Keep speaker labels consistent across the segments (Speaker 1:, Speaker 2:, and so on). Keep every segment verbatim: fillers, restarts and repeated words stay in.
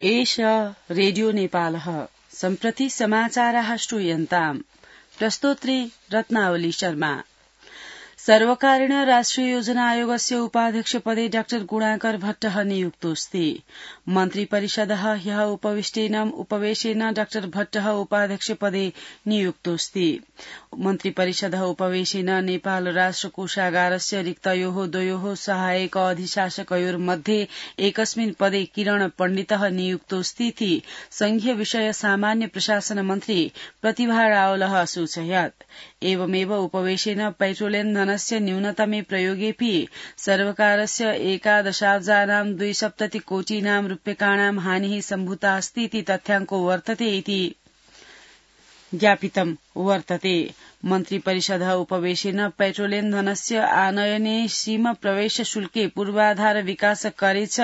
Speaker 1: एष रेडियो नेपालः सम्प्रति समाचाराः श्रूयन्ताम्। प्रस्तोत्री रत्नावली शर्मा। सर्वकारेण राष्ट्रिय योजना आयोगस्य उपाध्यक्षपदे डाक्टर गुणाकर भट्टः नियुक्तोऽस्ति। मन्त्रिपरिषदः ह्यः उपविष्टेन उपवेशेन डाक्टर भट्टः उपाध्यक्षपदे नियुक्तोऽस्ति। मन्त्रिपरिषदः उपवेशेन नेपाल राष्ट्र कोषागारस्य रिक्तयोः द्वयोः सहायक अधिशासकयोर्मध्ये एकस्मिन् पदे किरण पण्डितः नियुक्तोऽस्तीति संघीय विषय सामान्य प्रशासन मन्त्री प्रतिभा रावलः असूचयत्। एवमेव उपवेशेन पेट्रोलियम धनस्य न्यूनतमे प्रयोगेऽपि सर्वकारस्य एकादशाब्जानां द्विसप्ततिकोटीनां रूप्यकाणां हानिः सम्भूता अस्तीति तथ्याङ्को वर्तते इति ज्ञापितं वर्तते। मन्त्रिपरिषदः उपवेशेन पेट्रोलियम धनस्य आनयने सीम प्रवेश शुल्के पूर्वाधार विकास करे च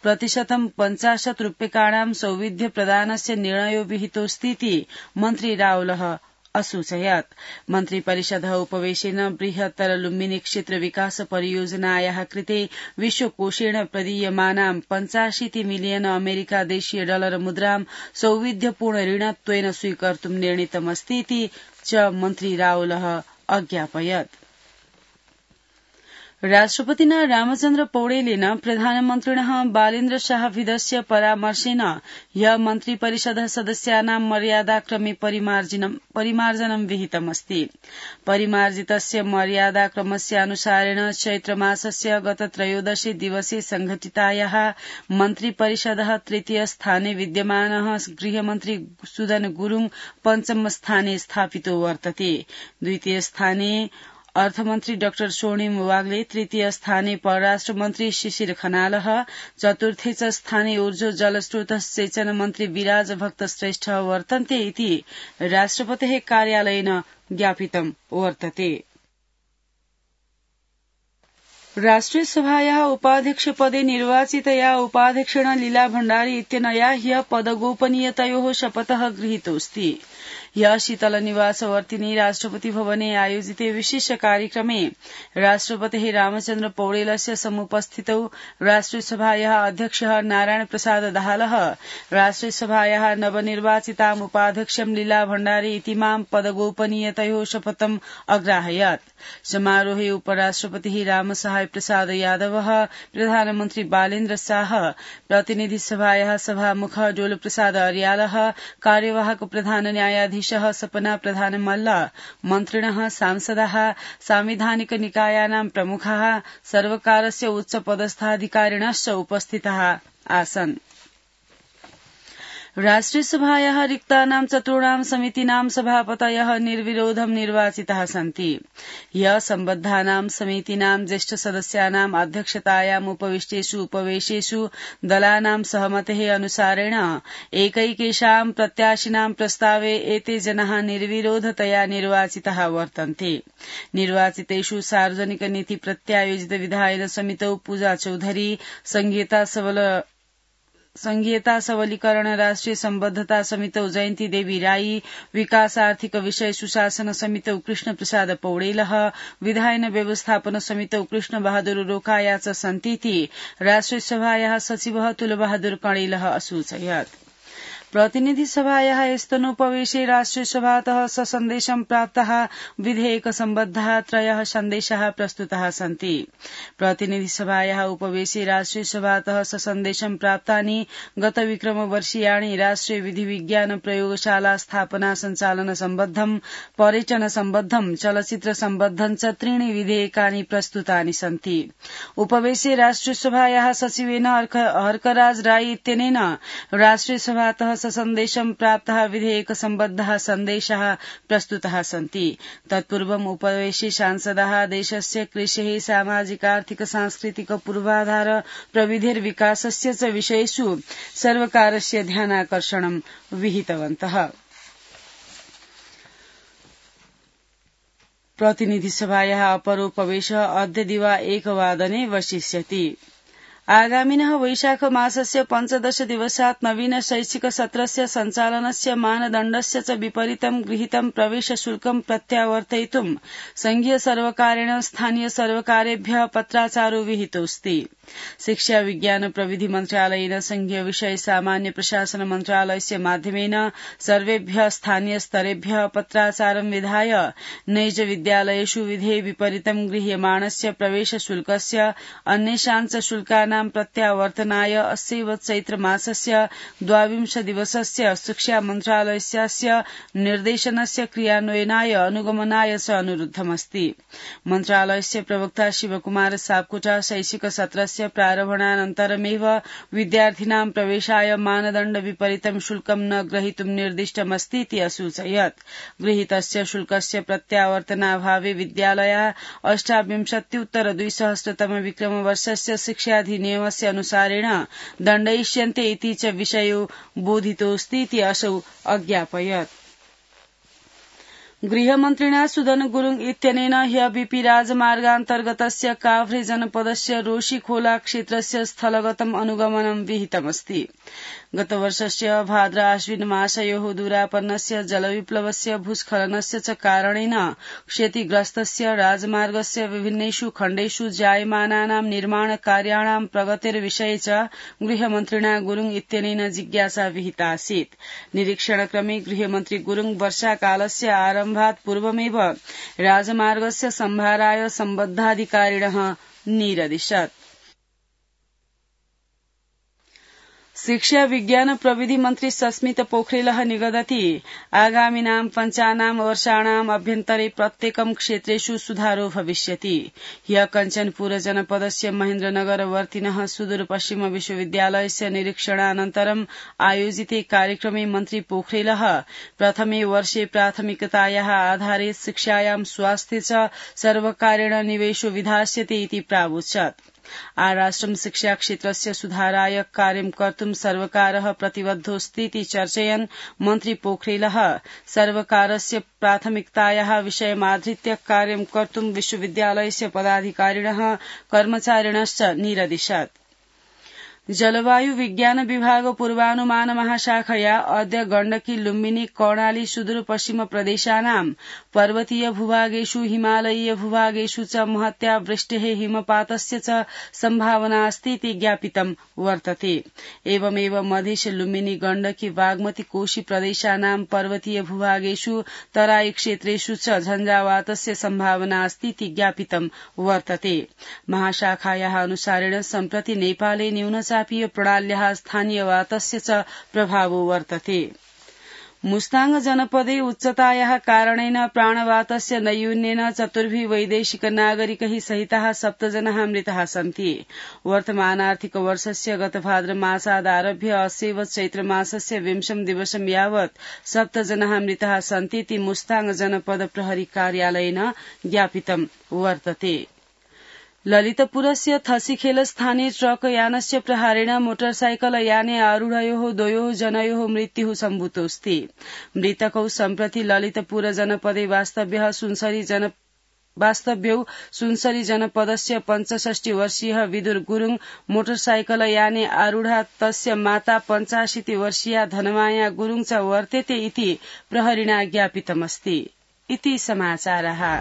Speaker 1: प्रतिशतं पञ्चाशत् रूप्यकाणां सौविध्य प्रदानस्य निर्णयो विहितोऽस्तीति मन्त्री रावलः असूचयत्। मन्त्रिपरिषदः उपवेशेन बृहत्तर लुम्बिनी क्षेत्र विकास परियोजनायाः कृते विश्वकोषेण प्रदीयमानां पञ्चाशीति मिलियन अमेरिका देशीय डलर मुद्रां सौविध्यपूर्ण ऋणत्वेन स्वीकर्तुं निर्णीतमस्तीति च मन्त्री रावलः अज्ञापयत्। राष्ट्रपतिना रामचन्द्र पौडेलेन प्रधानमन्त्रिणः बालेन्द्र शाहविदस्य परामर्शेन ह्यः मन्त्रिपरिषदः सदस्यानां मर्यादाक्रमे परिमार्जनं विहितमस्ति। परिमार्जितस्य मर्यादाक्रमस्यानुसारेण चैत्रमासस्य गत त्रयोदशे दिवसे संघटितायाः मन्त्रिपरिषदः तृतीय स्थाने विद्यमानः गृहमन्त्री सुदन गुरूङ पञ्चम स्थाने स्थापितो वर्तते। द्वितीय स्थाने अर्थमन्त्री डाक्टर स्वर्णिम वाग्ले, तृतीय स्थाने परराष्ट्र मन्त्री शिशिर खनालः, चतुर्थे च स्थाने ऊर्जो जलस्रोत सेचन मन्त्री विराज भक्त श्रेष्ठ वर्तन्ते इति राष्ट्रपतेः कार्यालयेन ज्ञापितं वर्तते। राष्ट्रिय सभायाः उपाध्यक्षपदे निर्वाचितया उपाध्यक्षेण लीला भण्डारी इत्यनया ह्यः पदगोपनीयतयोः शपथः गृहीतोऽस्ति। ह्यः शीतलनिवासवर्तिनि राष्ट्रपति भवने आयोजिते विशेष कार्यक्रमे राष्ट्रपतेः रामचन्द्र पौडेलस्य समुपस्थितौ राष्ट्रिय सभायाः अध्यक्षः नारायण प्रसाद दाहालः राष्ट्रिय सभायाः नवनिर्वाचिताम् उपाध्यक्षं लीला भण्डारी इतीमां पदगोपनीयतयोः शपथम् अग्राहयत्। समारोहे उपराष्ट्रपतिः रामसहाय प्रसाद यादवः, प्रधानमन्त्री बालेन्द्र शाह, प्रतिनिधि सभायाः सभामुखः डोल प्रसाद अर्यालः, कार्यवाहक प्रधान न्यायाधीशः सपना प्रधान मल्ल, मन्त्रिणः, सांसदाः, सांविधानिक निकायानां प्रमुखाः, सर्वकारस्य उच्च पदस्थाधिकारिणश्च उपस्थिताः आसन्। राष्ट्रिय सभायाः रिक्तानां चतुर्णां समितीनां सभापतयः निर्विरोधं निर्वाचिताः सन्ति। ह्यः सम्बद्धानां समितीनां ज्येष्ठ सदस्यानाम् अध्यक्षतायाम् उपविष्टेषु उपवेशेषु दलानां सहमतेः अनुसारेण एकैकेषां प्रत्याशिनां प्रस्तावे एते जनाः निर्विरोधतया निर्वाचिताः वर्तन्ते। निर्वाचितेषु सार्वजनिक नीति प्रत्यायोजित विधायन समितौ पूजा चौधरी, संघीयता सबल संघीयता सबलीकरण राष्ट्रिय सम्बद्धता समितौ जयन्ती देवी राई, विकास आर्थिक विषय सुशासन समितौ कृष्ण प्रसाद पौडेलः, विधायन व्यवस्थापन समितौ कृष्ण बहादुर रोकाया च सन्तीति राष्ट्रिय सभायाः सचिवः तुलबहादुर कणेलः असूचयत्। प्रतिनिधि सभायाः स्तनोपवेशे राष्ट्रिय सभातः ससन्देशं प्राप्ताः विधेयक सम्बद्धाः त्रयः सन्देशाः प्रस्तुताः सन्ति। प्रतिनिधि सभायाः उपवेशे राष्ट्रिय सभातः ससन्देशं प्राप्तानि गत विक्रम वर्षीयाणि राष्ट्रिय विधि विज्ञान प्रयोगशाला स्थापना सञ्चालन सम्बद्धं, पर्यटन सम्बद्धं, चलचित्र सम्बद्धं च त्रीणि विधेयकानि प्रस्तुतानि सन्ति। उपवेशे राष्ट्रिय सभायाः सचिवेन हर्कराज राई इत्यनेन राष्ट्रिय सभातः सन्देशं प्राप्ताः विधेयक सम्बद्धाः सन्देशाः प्रस्तुताः सन्ति। तत्पूर्वम् उपवेशे सांसदाः देशस्य कृषेः सामाजिकार्थिक सांस्कृतिक पूर्वाधार प्रविधिर्विकासस्य च विषयेषु सर्वकारस्य ध्यानाकर्षणं विहितवन्तः। प्रतिनिधिसभायाः अपरोपवेशः अद्य दिवा एकवादने वसिष्यति। आगामिनः वैशाख मासस्य पञ्चदश दिवसात् नवीन शैक्षिक सत्रस्य सञ्चालनस्य मानदण्डस्य च विपरीतं गृहीतं प्रवेश शुल्कं प्रत्यावर्तयितुं संघीय सर्वकारेण स्थानीय सर्वकारेभ्यः पत्राचारो विहितोऽस्ति। शिक्षा विज्ञान प्रविधि मन्त्रालयेन संघीय विषय सामान्य प्रशासन मन्त्रालयस्य माध्यमेन सर्वेभ्यः स्थानीय स्तरेभ्यः पत्राचारं विधाय नैज विद्यालयेषु विधे विपरीतं गृह्यमाणस्य प्रवेश शुल्कस्य अन्येषां च शुल्कानां प्रत्यावर्तनाय अस्यैव चैत्र मासस्य द्वाविंश दिवसस्य शिक्षा मन्त्रालयस्य निर्देशनस्य क्रियान्वयनाय अनुगमनाय च अनुरुद्धमस्ति। मन्त्रालयस्य प्रवक्ता शिवकुमार सापकोटा शैक्षिक सत्रस्य प्रारम्भानन्तरमेव विद्यार्थिनां प्रवेशाय मानदण्ड विपरीतं शुल्कं न ग्रहीतुं निर्दिष्टमस्तीति असूचयत्। गृहीतस्य शुल्कस्य प्रत्यावर्तनाभावे विद्यालयाः अष्टाविंशत्युत्तर द्विसहस्रतम विक्रमवर्षस्य शिक्षाधिनियमस्य अनुसारेण दण्डयिष्यन्ते इति च विषयो बोधितोऽस्तीति असौ अज्ञापयत्। गृहमन्त्रिणा सुदन गुरुङ इत्यनेन ह्य बीपी राजमार्गान्तर्गतस्य काभ्रे जनपदस्य रोशीखोला क्षेत्रस्य स्थलगतम् अनुगमनं विहितमस्ति। गतवर्षस्य भाद्र आश्विन मासयोः दूरापन्नस्य जलविप्लवस्य भूस्खलनस्य च कारणेन क्षतिग्रस्तस्य राजमार्गस्य विभिन्नेषु खण्डेषु जायमानानां निर्माण कार्याणां प्रगतिर्विषये च गृहमन्त्रिणा गुरुङ इत्यनेन जिज्ञासा विहितासीत्। निरीक्षणक्रमे गृहमन्त्री गुरुङ वर्षाकालस्य आरम्भात् पूर्वमेव राजमार्गस्य सम्भाराय सम्बद्धाधिकारिणः निरदिशत्। शिक्षा विज्ञान प्रविधि मन्त्री सस्मित पोखरेलः निगदति आगामिनां पञ्चानां वर्षाणाम् अभ्यन्तरे प्रत्येकं क्षेत्रेषु सुधारो भविष्यति। ह्यः कञ्चनपुर जनपदस्य महेन्द्रनगरवर्तिनः सुदूरपश्चिम विश्वविद्यालयस्य निरीक्षणानन्तरम् आयोजिते कार्यक्रमे मन्त्री पोखरेलः प्रथमे वर्षे प्राथमिकतायाः आधारे शिक्षायां स्वास्थ्ये च सर्वकारेण निवेशो विधास्यते इति प्रावोचत्। आराष्ट्रं शिक्षा क्षेत्रस्य सुधाराय कार्यं कर्तुं सर्वकारः प्रतिबद्धोऽस्तीति चर्चयन् मन्त्री पोखरेलः सर्वकारस्य प्राथमिकतायाः विषयमाधृत्य कार्यं कर्तुं विश्वविद्यालयस्य पदाधिकारिणः कर्मचारिणश्च निरदिशत्। जलवायु विज्ञान विभाग पूर्वानुमान महाशाखया अद्य गण्डकी लुम्बिनी कर्णाली सुदूर पश्चिम प्रदेशानां पर्वतीय भूभागेषु हिमालयीय भूभागेषु च महत्या वृष्टेः हिमपातस्य च सम्भावना अस्तीति ज्ञापितं वर्तते। एवमेव मधेश लुम्बिनी गण्डकी बागमती कोशी प्रदेशानां पर्वतीय भूभागेषु तराई क्षेत्रेषु च झञ्झावातस्य सम्भावना अस्तीति ज्ञापितं वर्तते। महाशाखायाः अनुसारेण सम्प्रति नेपाले न्यून चापीय प्रणाल्याः स्थानीय वातस्य च प्रभावो वर्तते। मुस्ताङ जनपदे उच्चतायाः कारणेन प्राणवातस्य नैयून्येन चतुर्भिः वैदेशिक नागरिकैः सहिताः सप्तजनाः मृताः सन्ति। वर्तमानार्थिक वर्षस्य गतभाद्र मासादारभ्य अस्यैव चैत्रमासस्य विंशं दिवसं यावत् सप्तजनाः मृताः सन्तीति मुस्ताङ जनपद प्रहरी कार्यालयेन ज्ञापितं वर्तते। ललितपुरस्य थसीखेल स्थाने ट्रक यानस्य प्रहारेण मोटरसाइकल याने आरूढयोः द्वयोः जनयोः मृत्युः सम्भूतोऽस्ति। मृतकौ सम्प्रति ललितपुर जनपदे वास्तव्यः सुनसरी जन वास्तव्यौ सुनसरी जनपदस्य पञ्चषष्टि वर्षीयः विदुर गुरुङ मोटरसाइकल याने आरूढा तस्य माता पञ्चाशीति वर्षीया धनमाया गुरुङ च वर्तेते इति प्रहरिणा ज्ञापितमस्ति। इति समाचारः।